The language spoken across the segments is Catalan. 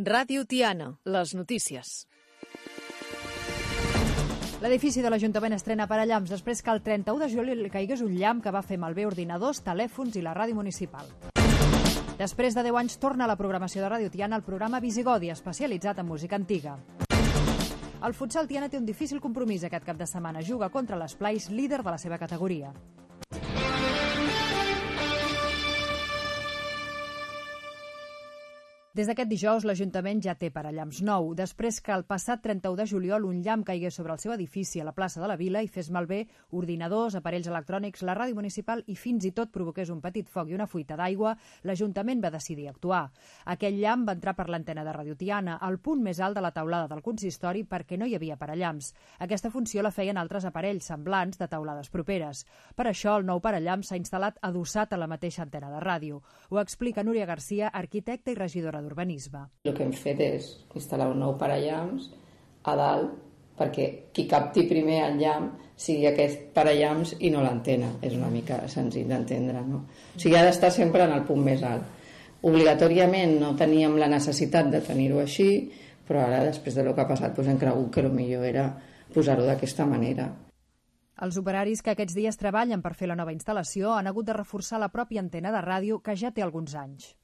Ràdio Tiana, les notícies. L'edifici de l'Ajuntament estrena parallamps després que el 31 de juliol li caigués un llamp que va fer malbé ordinadors, telèfons i la ràdio municipal. Després de 10 anys torna a la programació de Ràdio Tiana el programa Visigodi, especialitzat en música antiga. El futsal Tiana té un difícil compromís aquest cap de setmana. Juga contra l'Esplais, líder de la seva categoria. Des d'aquest dijous, l'Ajuntament ja té parallamps nou, després que el passat 31 de juliol un llamp caigués sobre el seu edifici a la plaça de la Vila i fes malbé ordinadors, aparells electrònics, la ràdio municipal i fins i tot provoqués un petit foc i una fuita d'aigua, l'Ajuntament va decidir actuar. Aquell llamp va entrar per l'antena de Ràdio Tiana, al punt més alt de la teulada del consistori perquè no hi havia parallamps. Aquesta funció la feien altres aparells semblants de teulades properes. Per això, el nou parallamp s'ha instal·lat adossat a la mateixa antena de ràdio. Ho explica Núria Garcia, arquitecta i regidora d'Urbanisme. El que hem fet és instal·lar un nou parallamps a dalt perquè qui capti primer el llamp sigui aquest parallamps i no l'antena. És una mica senzill d'entendre, no? O sigui, ha d'estar sempre en el punt més alt. Obligatòriament no teníem la necessitat de tenir-ho així, però ara, després de lo que ha passat, hem cregut que el millor era posar-ho d'aquesta manera. Els operaris que aquests dies treballen per fer la nova instal·lació han hagut de reforçar la pròpia antena de ràdio que ja té alguns anys.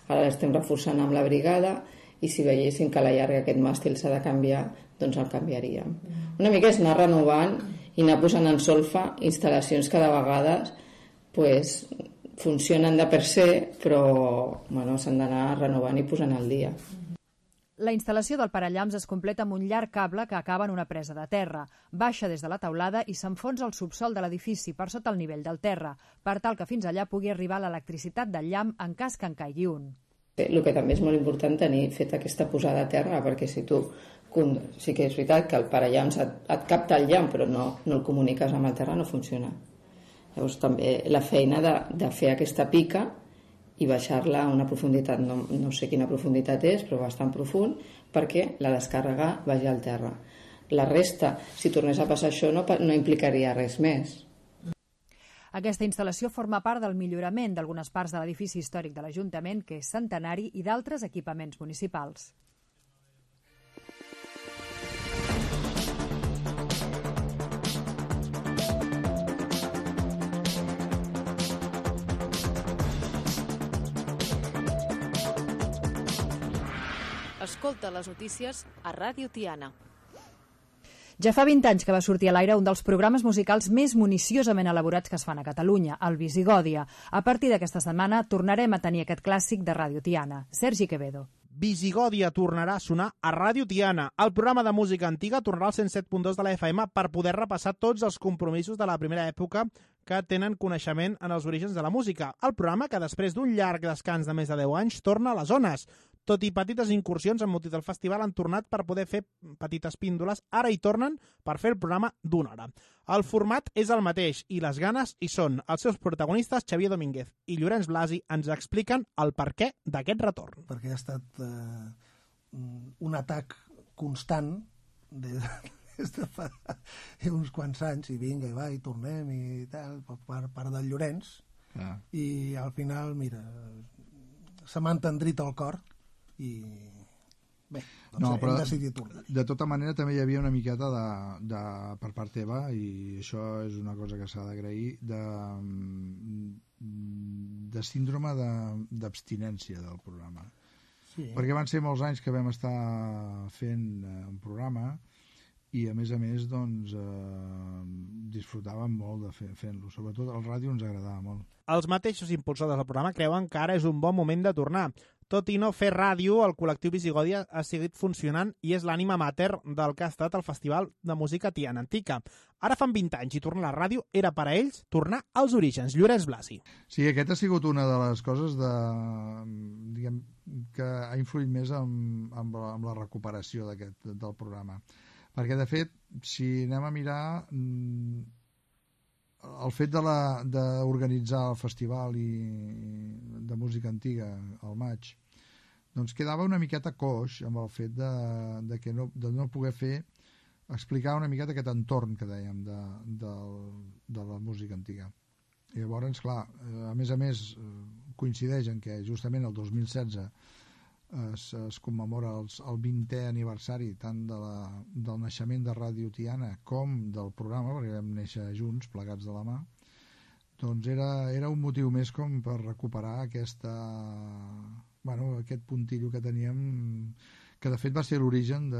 Ara l'estem reforçant amb la brigada i si veiéssim que a la llarga aquest màstil s'ha de canviar, doncs el canviaríem. Una mica és anar renovant i anar posant en solfa instal·lacions que de vegades funcionen de per se, però s'han d'anar renovant i posant al dia. La instal·lació del parallamps es completa amb un llarg cable que acaba en una presa de terra. Baixa des de la teulada i s'enfonsa al subsol de l'edifici per sota el nivell del terra, per tal que fins allà pugui arribar l'electricitat del llamp en cas que en caigui un. El que també és molt important tenir fet aquesta posada a terra, perquè si tu sí que és veritat que el parallamps et capta el llamp però no el comuniques amb el terra, no funciona. Llavors també la feina de fer aquesta pica i baixar-la a una profunditat, no sé quina profunditat és, però bastant profund, perquè la descàrrega vagi al terra. La resta, si tornés a passar això, no implicaria res més. Aquesta instal·lació forma part del millorament d'algunes parts de l'edifici històric de l'Ajuntament, que és centenari, i d'altres equipaments municipals. Escolta les notícies a Ràdio Tiana. Ja fa 20 anys que va sortir a l'aire un dels programes musicals més municiosament elaborats que es fan a Catalunya, el Visigòdia. A partir d'aquesta setmana tornarem a tenir aquest clàssic de Ràdio Tiana. Sergi Quevedo. Visigòdia tornarà a sonar a Ràdio Tiana. El programa de música antiga tornarà al 107.2 de la FM per poder repassar tots els compromisos de la primera època que tenen coneixement en els orígens de la música. El programa que després d'un llarg descans de més de 10 anys torna a les zones. Tot i petites incursions amb motiu del festival han tornat per poder fer petites píndoles. Ara hi tornen per fer el programa d'una hora. El format és el mateix i les ganes hi són. Els seus protagonistes, Xavier Domínguez i Llorenç Blasi, ens expliquen el perquè d'aquest retorn. Perquè ha estat un atac constant des de fa uns quants anys, i vinga, i va, i tornem, i tal, per part del Llorenç. I al final, mira, se m'ha entendrit el cor, i bé, doncs hem decidit tornar. De tota manera també hi havia una miqueta per part teva, i això és una cosa que s'ha d'agrair, de síndrome d'abstinència del programa. Sí. Perquè van ser molts anys que vam estar fent un programa i a més doncs disfrutàvem molt de fent-lo, sobretot el ràdio ens agradava molt. Els mateixos impulsors del programa creuen que ara és un bon moment de tornar. Tot i no fer ràdio, el col·lectiu Visigòdia ha seguit funcionant i és l'ànima mater del que ha estat el Festival de Música Tiana Antica. Ara fan 20 anys i tornar a la ràdio era per a ells tornar als orígens. Llorenç Blasi. Sí, aquest ha sigut una de les coses que ha influït més amb la recuperació del programa. Perquè, de fet, si anem a mirar, el fet d'organitzar el festival de música antiga al maig, doncs quedava una miqueta coix amb el fet de no poder explicar una miqueta aquest entorn que dèiem de la música antiga. I llavors, clar, a més coincideix en què justament el 2016 es commemora el 20è aniversari tant del naixement de Ràdio Tiana com del programa, perquè vam néixer junts, plegats de la mà, doncs era un motiu més com per recuperar aquest puntillo que teníem, que de fet va ser l'origen de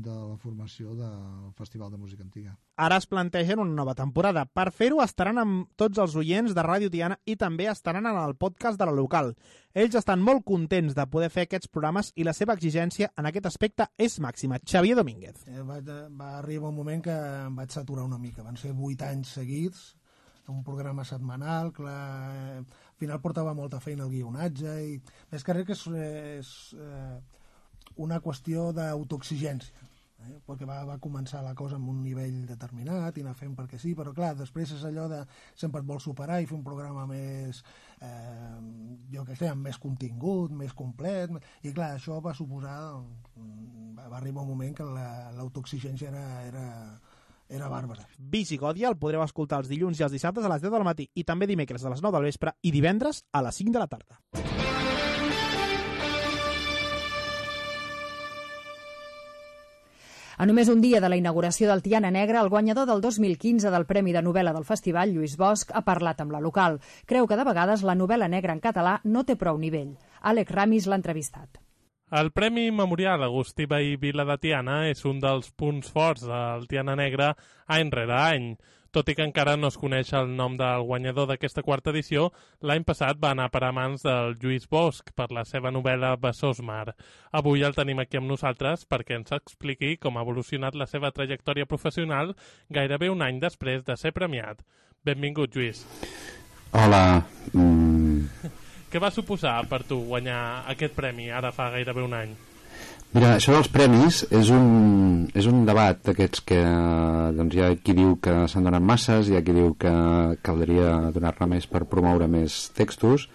la formació del Festival de Música Antiga. Ara es plantegen una nova temporada. Per fer-ho estaran amb tots els oients de Ràdio Tiana i també estaran en el podcast de la local. Ells estan molt contents de poder fer aquests programes i la seva exigència en aquest aspecte és màxima. Xavier Domínguez. Va arribar un moment que em vaig saturar una mica. Van ser 8 anys seguits, un programa setmanal, clar, al final portava molta feina el guionatge i més que res que és una qüestió d'autoexigència, perquè va començar la cosa amb un nivell determinat i anar fent perquè sí, però clar, després és allò de sempre et vols superar i fer un programa més jo què sé, amb més contingut, més complet, i clar, això va suposar va arribar un moment que l'autoexigència era bàrbara. Visigòdia el podreu escoltar els dilluns i els dissabtes a les 10 del matí i també dimecres a les 9 del vespre i divendres a les 5 de la tarda. A només un dia de la inauguració del Tiana Negra, el guanyador del 2015 del Premi de Novel·la del Festival, Lluís Bosch, ha parlat amb la local. Creu que de vegades la novel·la negra en català no té prou nivell. Àlex Ramis l'ha entrevistat. El Premi Memorial Agustí Vehí Vila de Tiana és un dels punts forts del Tiana Negra any rere any. Tot i que encara no es coneix el nom del guanyador d'aquesta quarta edició, l'any passat va anar per a mans del Lluís Bosch per la seva novel·la Besòs Mar. Avui el tenim aquí amb nosaltres perquè ens expliqui com ha evolucionat la seva trajectòria professional gairebé un any després de ser premiat. Benvingut, Lluís. Hola. Què va suposar per tu guanyar aquest premi ara fa gairebé un any? Mira, això dels premis és un debat d'aquests que doncs hi ha qui diu que se'n donen masses, hi ha qui diu que caldria donar-ne més per promoure més textos.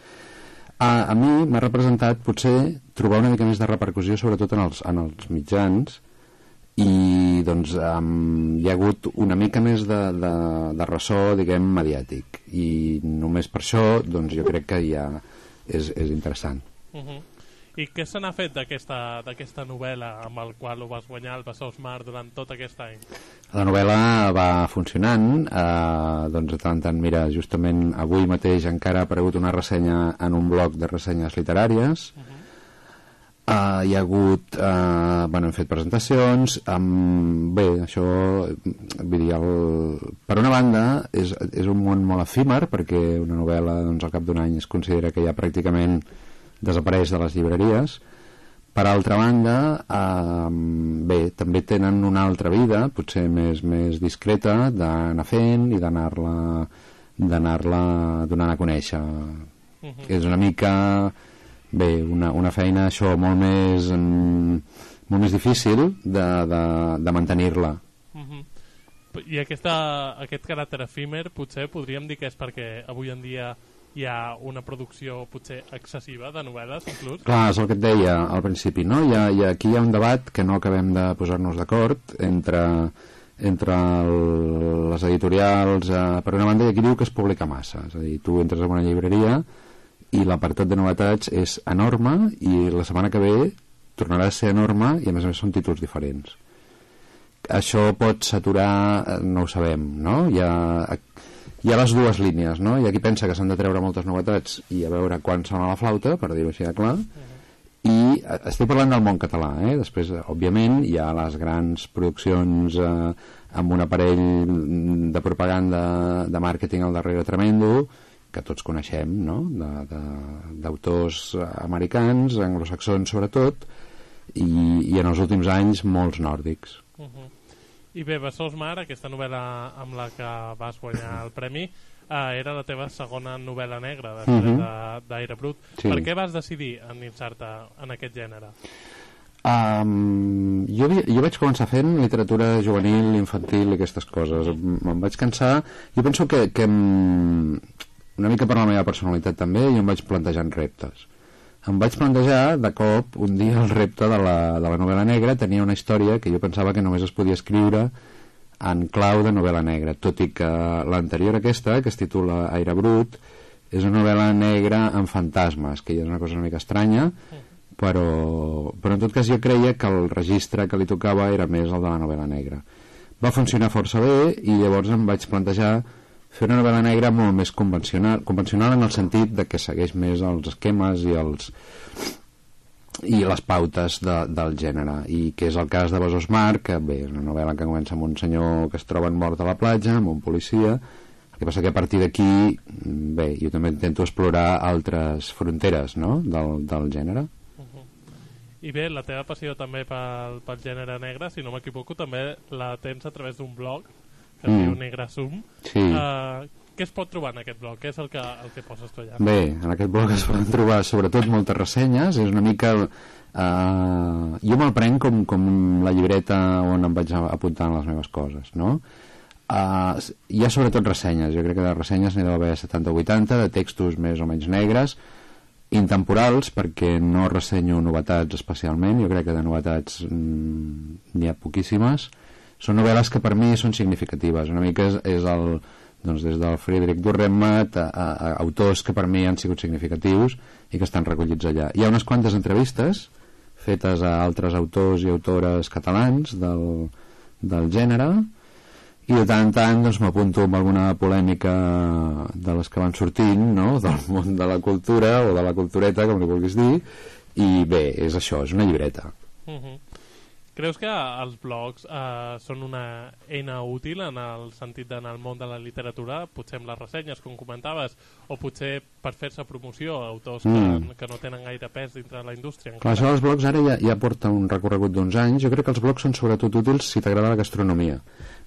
A mi m'ha representat potser trobar una mica més de repercussió, sobretot en els mitjans, i doncs hi ha hagut una mica més de ressò, diguem, mediàtic, i només per això doncs jo crec que ja és interessant. I què se n'ha fet d'aquesta novel·la amb el qual ho vas guanyar, el Besòs Mar, durant tot aquest any? La novel·la va funcionant, doncs de tant en tant, mira, justament avui mateix encara ha aparegut una ressenya en un blog de ressenyes literàries. Hi ha hagut, hem fet presentacions, bé, això, vull dir, per una banda és un món molt efímer, perquè una novel·la, doncs, al cap d'un any es considera que ja pràcticament desapareix de les llibreries. Per altra banda, bé, també tenen una altra vida, potser més discreta, d'anar fent i d'anar-la donant a conèixer. És una mica, bé, una feina, això, molt més difícil de mantenir-la. I aquest caràcter efímer, potser podríem dir que és perquè avui en dia hi ha una producció potser excessiva de novel·les, inclús? Clar, és el que et deia al principi, no? Aquí hi ha un debat que no acabem de posar-nos d'acord entre les editorials. Per una banda, hi ha qui diu que es publica massa, és a dir, tu entres en una llibreria i l'apartat de novetats és enorme i la setmana que ve tornarà a ser enorme i a més són títols diferents. Això pot saturar, no ho sabem, no? Hi ha les dues línies, no? Hi ha qui pensa que s'han de treure moltes novetats i a veure quan sona la flauta, per dir-ho així de clar, i estic parlant del món català, Després, òbviament, hi ha les grans produccions amb un aparell de propaganda, de màrqueting al darrere tremendo, que tots coneixem, no? D'autors americans, anglosaxons sobretot, i en els últims anys molts nòrdics. I bé, Besòs Mar, aquesta novel·la amb la que vas guanyar el premi, era la teva segona novel·la negra després d'Aire Brut. Sí. Per què vas decidir endinsar-te en aquest gènere? Jo vaig començar fent literatura juvenil, infantil i aquestes coses. Me'n vaig cansar. Jo penso que una mica per la meva personalitat també, jo em vaig plantejant reptes. Em vaig plantejar, de cop, un dia el repte de la novel·la negra. Tenia una història que jo pensava que només es podia escriure en clau de novel·la negra, tot i que l'anterior aquesta, que es titula Aire Brut, és una novel·la negra amb fantasmes, que ja és una cosa una mica estranya, però en tot cas jo creia que el registre que li tocava era més el de la novel·la negra. Va funcionar força bé i llavors em vaig plantejar fer una novel·la negra molt més convencional en el sentit de que segueix més els esquemes i les pautes del gènere, i que és el cas de Besòs Mar, que bé, és una novel·la que comença amb un senyor que es troba mort a la platja, amb un policia. El que passa que a partir d'aquí, bé, jo també intento explorar altres fronteres, no?, del gènere. I bé, la teva passió també pel gènere negre, si no m'equivoco, també la tens a través d'un blog que es diu Negrasum. Sí. Què es pot trobar en aquest blog? Què és el que poses tu allà? Bé, en aquest blog es poden trobar sobretot moltes ressenyes. És una mica... jo me'l prenc com la llibreta on em vaig apuntant les meves coses, no? Hi ha sobretot ressenyes. Jo crec que de ressenyes n'hi deu haver 70 o 80, de textos més o menys negres, intemporals, perquè no ressenyo novetats especialment. Jo crec que de novetats n'hi ha poquíssimes. Són novel·les que per mi són significatives. Una mica és el... doncs des del Friedrich Dürrenmatt a autors que per mi han sigut significatius i que estan recollits allà. Hi ha unes quantes entrevistes fetes a altres autors i autores catalans del gènere, i de tant en tant doncs, m'apunto amb alguna polèmica de les que van sortint, no?, del món de la cultura o de la cultureta, com li vulguis dir, i bé, és això, és una llibreta. Creus que els blogs són una eina útil en el sentit d'anar al món de la literatura, potser amb les ressenyes, com comentaves, o potser per fer-se promoció a autors que no tenen gaire pes dintre de la indústria? Clar, això dels blogs ara ja porta un recorregut d'uns anys. Jo crec que els blogs són sobretot útils si t'agrada la gastronomia,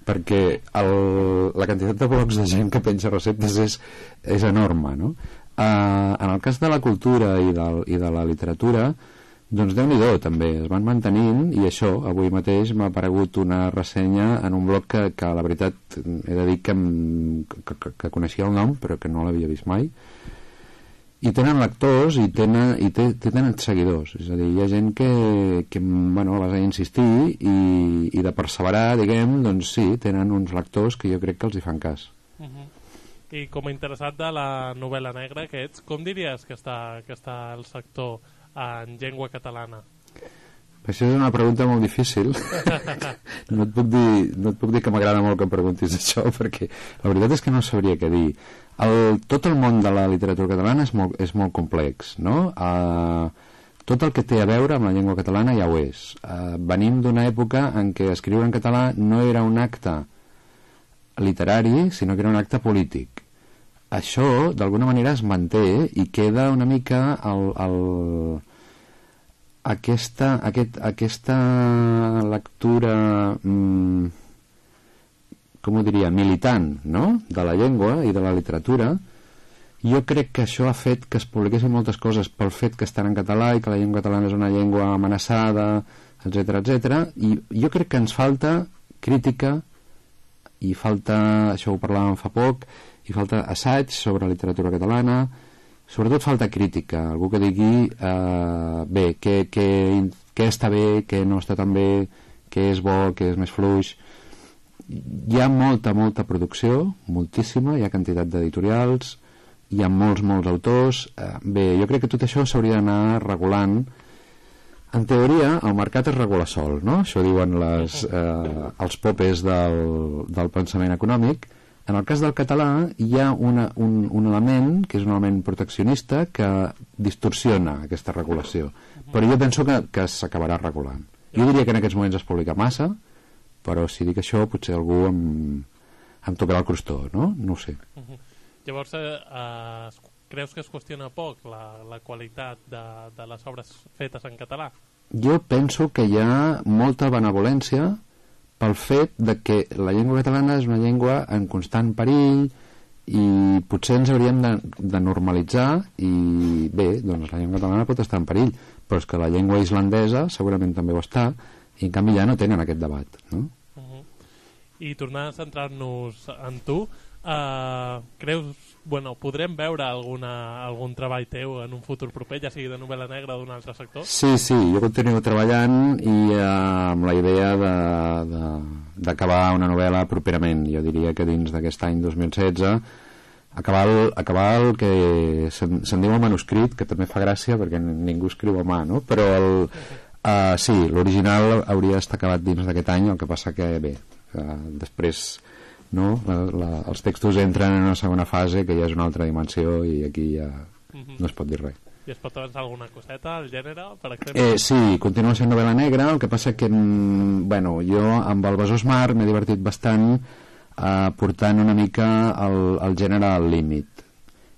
perquè la quantitat de blogs de gent que penja receptes és enorme, no? En el cas de la cultura i de la literatura, doncs Déu-n'hi-do, també, es van mantenint, i això, avui mateix m'ha aparegut una ressenya en un blog que la veritat he de dir que coneixia el nom, però que no l'havia vist mai, i tenen lectors i tenen seguidors, és a dir, hi ha gent que bueno, vas a insistir i de perseverar, diguem, doncs sí, tenen uns lectors que jo crec que els hi fan cas. I com a interessat de la novel·la negra que ets, com diries que està el sector en llengua catalana? Això és una pregunta molt difícil. No et puc dir que m'agrada molt que em preguntis això, perquè la veritat és que no sabria què dir. Tot el món de la literatura catalana és molt complex, no? Tot el que té a veure amb la llengua catalana ja ho és. Venim d'una època en què escriure en català no era un acte literari, sinó que era un acte polític. Això, d'alguna manera, es manté i queda una mica aquesta lectura com ho diria, militant, no?, de la llengua i de la literatura. Jo crec que això ha fet que es publiquessin moltes coses pel fet que estan en català i que la llengua catalana és una llengua amenaçada, etc. I jo crec que ens falta crítica i falta, això ho parlàvem fa poc, i falta assaig sobre literatura catalana, sobretot falta crítica, algú que digui bé, què està bé, què no està tan bé, què és bo, què és més fluix. Hi ha molta producció, moltíssima, hi ha quantitat d'editorials, hi ha molts autors. Bé, jo crec que tot això s'hauria d'anar regulant. En teoria, el mercat es regula sol, no? Això diuen els popes del pensament econòmic. En el cas del català hi ha un element, que és un element proteccionista, que distorsiona aquesta regulació. Però jo penso que s'acabarà regulant. Jo diria que en aquests moments es publica massa, però si dic això potser algú em tocarà el crostó, no? No ho sé. Llavors, creus que es qüestiona poc la qualitat de les obres fetes en català? Jo penso que hi ha molta benevolència pel fet de que la llengua catalana és una llengua en constant perill i potser ens hauríem de normalitzar i bé, doncs la llengua catalana pot estar en perill, però és que la llengua islandesa segurament també ho està i en canvi ja no tenen aquest debat, no? I tornant a centrar-nos en tu, creus, podrem veure algun treball teu en un futur proper, ja sigui de novel·la negra o d'un altre sector? Sí, jo continuo treballant i amb la idea d'acabar una novel·la properament. Jo diria que dins d'aquest any 2016 acabar el que se'n diu el manuscrit, que també fa gràcia perquè ningú escriu a mà, no? Però sí, l'original hauria d'estar acabat dins d'aquest any, el que passa que bé, després no? Els textos entren en una segona fase que ja és una altra dimensió i aquí ja no es pot dir res. I es pot avançar alguna coseta, el gènere, per exemple? Sí, continua sent novel·la negra, el que passa que bueno, jo amb el Besòs Mar m'he divertit bastant portant una mica el gènere al límit,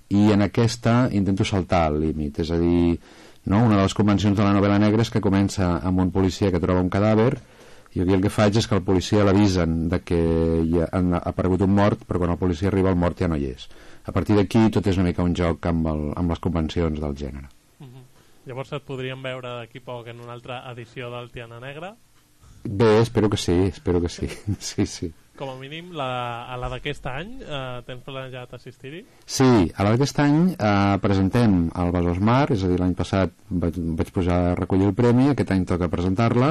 i en aquesta intento saltar al límit, és a dir, no? Una de les convencions de la novel·la negra és que comença amb un policia que troba un cadàver, i aquí el que faig és que el policia l'avisen de que ha aparegut un mort, però quan el policia arriba el mort ja no hi és. A partir d'aquí tot és una mica un joc amb les convencions del gènere. Llavors et podríem veure d'aquí poc en una altra edició del Tiana Negra? Bé, espero que sí, sí. Com a mínim, a la d'aquest any, tens planejat assistir-hi? Sí, a la d'aquest any presentem el Besòs Mar, és a dir, l'any passat vaig posar a recollir el premi, aquest any toca presentar-la,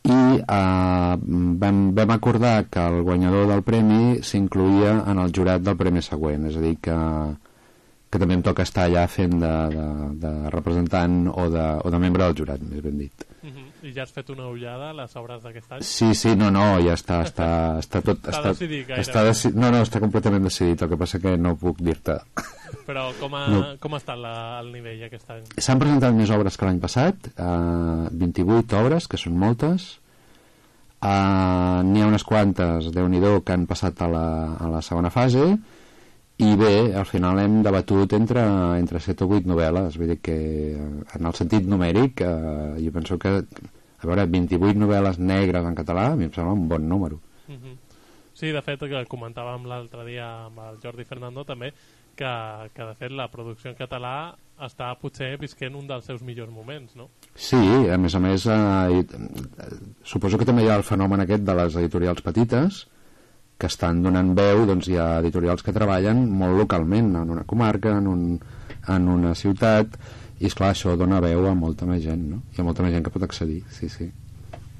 i vam acordar que el guanyador del premi s'incluïa en el jurat del premi següent, és a dir, que també em toca estar allà fent de representant o de membre del jurat, més ben dit. I ja has fet una ullada a les obres d'aquest any? Sí, no, ja està tot... Està decidit gaire? Està completament decidit, el que passa que no puc dir-te. Però com ha estat el nivell aquest any? S'han presentat més obres que l'any passat, 28 obres, que són moltes. N'hi ha unes quantes, Déu-n'hi-do, que han passat a la segona fase, i bé, al final hem debatut entre 7 o 8 novel·les, vull dir que en el sentit numèric jo penso que, a veure, 28 novel·les negres en català a mi em sembla un bon número. Sí, de fet, que comentàvem l'altre dia amb el Jordi Fernando també, que de fet la producció en català està potser visquent un dels seus millors moments, no? Sí, a més suposo que també hi ha el fenomen aquest de les editorials petites que estan donant veu, doncs hi ha editorials que treballen molt localment en una comarca, en una ciutat, i esclar, això dona veu a molta més gent, no? Hi ha molta més gent que pot accedir, sí.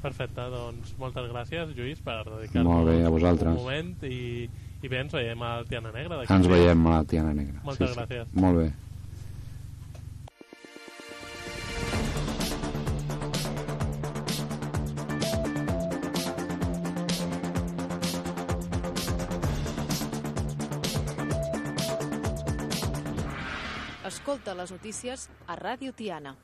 Perfecte, doncs moltes gràcies, Lluís, per dedicar-nos un moment i bé, ens veiem al Tiana Negra. Ens veiem a la Tiana Negra. Moltes gràcies. Molt bé. Escolta les notícies a Ràdio Tiana.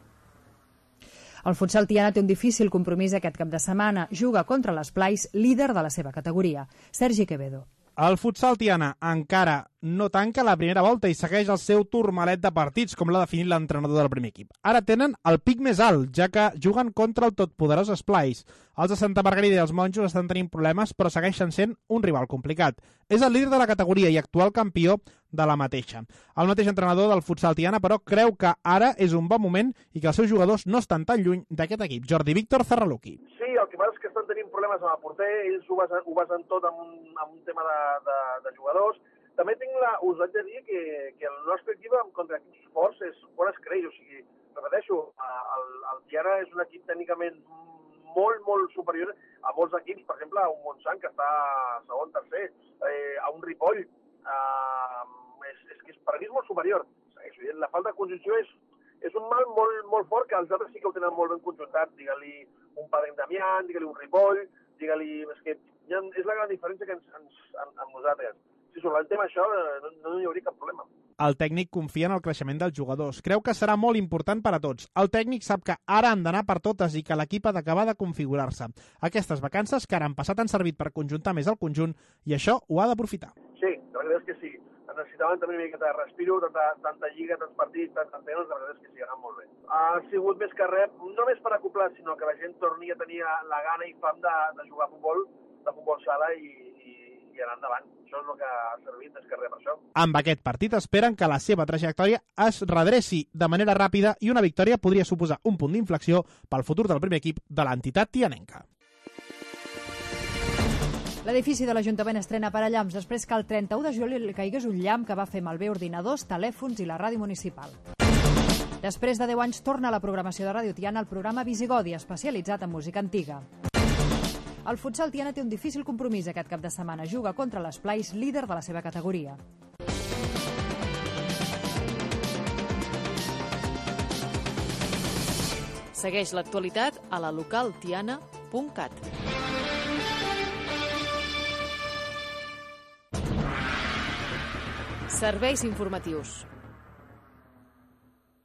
El futsal Tiana té un difícil compromís aquest cap de setmana. Juga contra l'Esplais, líder de la seva categoria. Sergi Quevedo. El futsal Tiana encara no tanca la primera volta i segueix el seu turmalet de partits, com l'ha definit l'entrenador del primer equip. Ara tenen el pic més alt, ja que juguen contra el totpoderós Esplais. Els de Santa Margarida i els Monjos estan tenint problemes, però segueixen sent un rival complicat. És el líder de la categoria i actual campió de la mateixa. El mateix entrenador del futsal Tiana, però, creu que ara és un bon moment i que els seus jugadors no estan tan lluny d'aquest equip. Jordi Víctor Zarraluki. Sí, el que passa és que estan tenint problemes amb el porter, ells ho basen tot amb un tema de jugadors. També us haig de dir que el nostre equip contra equips forts és on es creix, o sigui, repeteixo, el Tiana és un equip tècnicament molt, molt superior a molts equips, per exemple, a un Montsant que està segon, tercer, a un Ripoll, és que per mi és molt superior. La falta de conjunció és un mal molt, molt fort, que els altres sí que ho tenen molt ben conjuntat, digue-li un Padre Damián, digue-li un Ripoll, digue-li... És que és la gran diferència que amb nosaltres. Si sobre el tema això no hi hauria cap problema. El tècnic confia en el creixement dels jugadors. Creu que serà molt important per a tots. El tècnic sap que ara han d'anar per totes i que l'equip ha d'acabar de configurar-se. Aquestes vacances que ara han passat han servit per conjuntar més el conjunt i això ho ha d'aprofitar. Sí, la veritat és que sí. Necessitaven també una miqueta de respiro, tanta lliga, tants partits, tants anys, la veritat és que sí, ha anat molt bé. Ha sigut més que res, no només per acoplar, sinó que la gent torni a tenir la gana i fam de jugar a futbol, de futbol sala i anar endavant. Això és el que ha servit més que res per això. Amb aquest partit esperen que la seva trajectòria es redreci de manera ràpida i una victòria podria suposar un punt d'inflexió pel futur del primer equip de l'entitat tianenca. L'edifici de l'Ajuntament estrena parallamps després que el 31 de juliol caigués un llamp que va fer malbé ordinadors, telèfons i la ràdio municipal. Després de 10 anys torna a la programació de Ràdio Tiana el programa Visigodi, especialitzat en música antiga. El futsal Tiana té un difícil compromís aquest cap de setmana. Juga contra l'Esplais, líder de la seva categoria. Segueix l'actualitat a la localtiana.cat. Serveis informatius.